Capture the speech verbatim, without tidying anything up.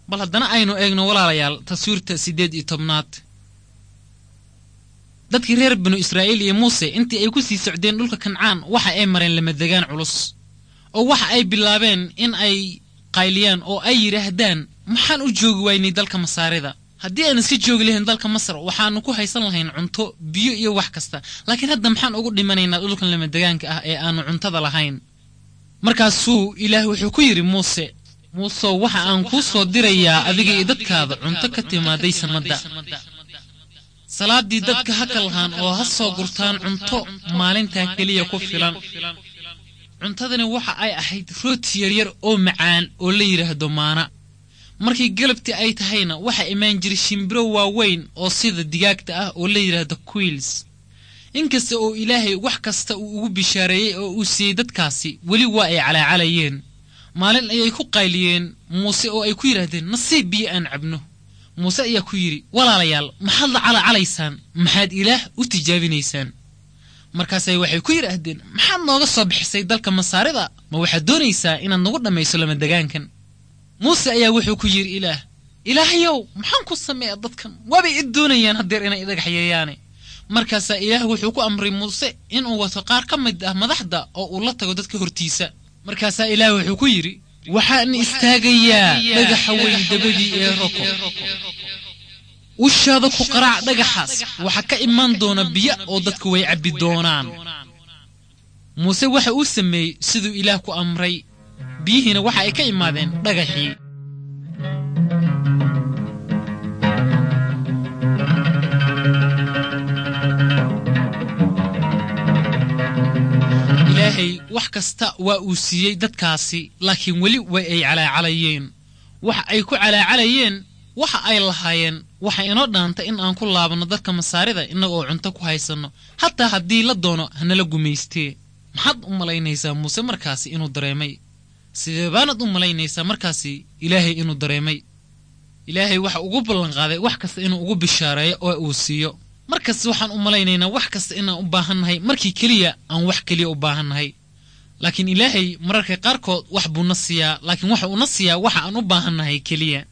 Bal haddana aynu eegno, walaalayaal, taswiirta siddeed iyo tobnaad. Dadkii reer Binu Israa'iil iyo Muuse intii ay ku sii socdeen dhulka Kancaan waxa ay mareen lamadegaan culus, oo waxa ay bilaabeen in ay qayliyaan oo ay yidhaahdaan, maxaan u joogi waynay dalka Masaarida? Haddii aan iska joogi lahayn dalka Masar, waxaannu ku haysan lahayn cunto, biyo iyo wax kasta, laakiin hadda maxaan ugu dhimanaynaa dhulkan lamadegaanka ah ee aannu cuntada lahayn? Markaasuu Ilaah wuxuu ku yidhi Muuse, Muusow, waxa aan kuu soo dirayaa adiga iyo dadkaada cunto ka timaaday samadda. Salaaddii dadka ha kalhaan oo ha soo gurtaan cunto maalintaa keliya ku filan. Cuntadani waxa ay ahayd rooti yaryar oo macaan oo la yidhaahdo maana. Markii galabtii ay tahayna waxaa imaan jiray shimbiro waaweyn oo sida digaagta ah oo la yidhaahdo quiils. Inkasta oo Ilaahay wax kasta uu ugu bishaareeyey oo uu siiyey dadkaasi, weli waa ay calaacalayeen. Maalin ayay ku qayliyeen Muuse oo ay ku yidhaahdeen, nasiib biyo aan cabno. Muuse ayaa ku yidhi, walaalayaal, maxaad la calacalaysaan? Maxaad Ilaah u tijaabinaysaan? Markaasay waxay ku yidhaahdeen, maxaad nooga soo bixisay dalka Masaarida? Ma waxaad doonaysaa inaad nagu dhammayso lamadegaankan? Muuse ayaa wuxuu ku yidhi Ilaah, Ilaahayow, maxaan ku sameeya dadkan? Waabay i doonayaan haddeer inay idhagaxyeeyaane. Markaasaa Ilaah wuxuu ku amray Muuse inuu wato qaar ka mid ah madaxda oo uu la tago dadka hortiisa. Markaasaa Ilaah wuxuu ku yidhi, waxaan istaagayaa dhagaxa weyn dabadii ee roko. Ushaada ku qaraac dhagaxaas, waxa ka imaan doona biyo oo dadku way cabbi doonaan. Muuse waxa uu sameeyey siduu Ilaah ku amray, biyihiina waxa ay ka imaadeen dhagaxii. Ilaahay wax kasta waa uu siiyey dadkaasi, laakiin weli way ay calaacalayeen. Waxa ay ku calaacalayeen waxa ay lahaayeen, waxa inoo dhaanta in aan ku laabanno dadka Masaarida innaga oo cunto ku haysanno, hataa haddii la doono hanala gumaystee. Maxaad u malaynaysaa Muuse markaasi inuu dareemay? Sidee baanad u malaynaysaa markaasi Ilaahay inuu dareemay? Ilaahay waxa ugu ballanqaaday wax kasta inuu ugu bishaareeyo oo uu siiyo. Markasta waxaan u malaynaynaa wax kasta inaan u baahannahay markii keliya aan wax keliya u baahannahay, laakiin Ilaahay mararka qaarkood wax buu na siiyaa, laakiin waxa uuna siiyaa waxa aan u baahannahay keliya.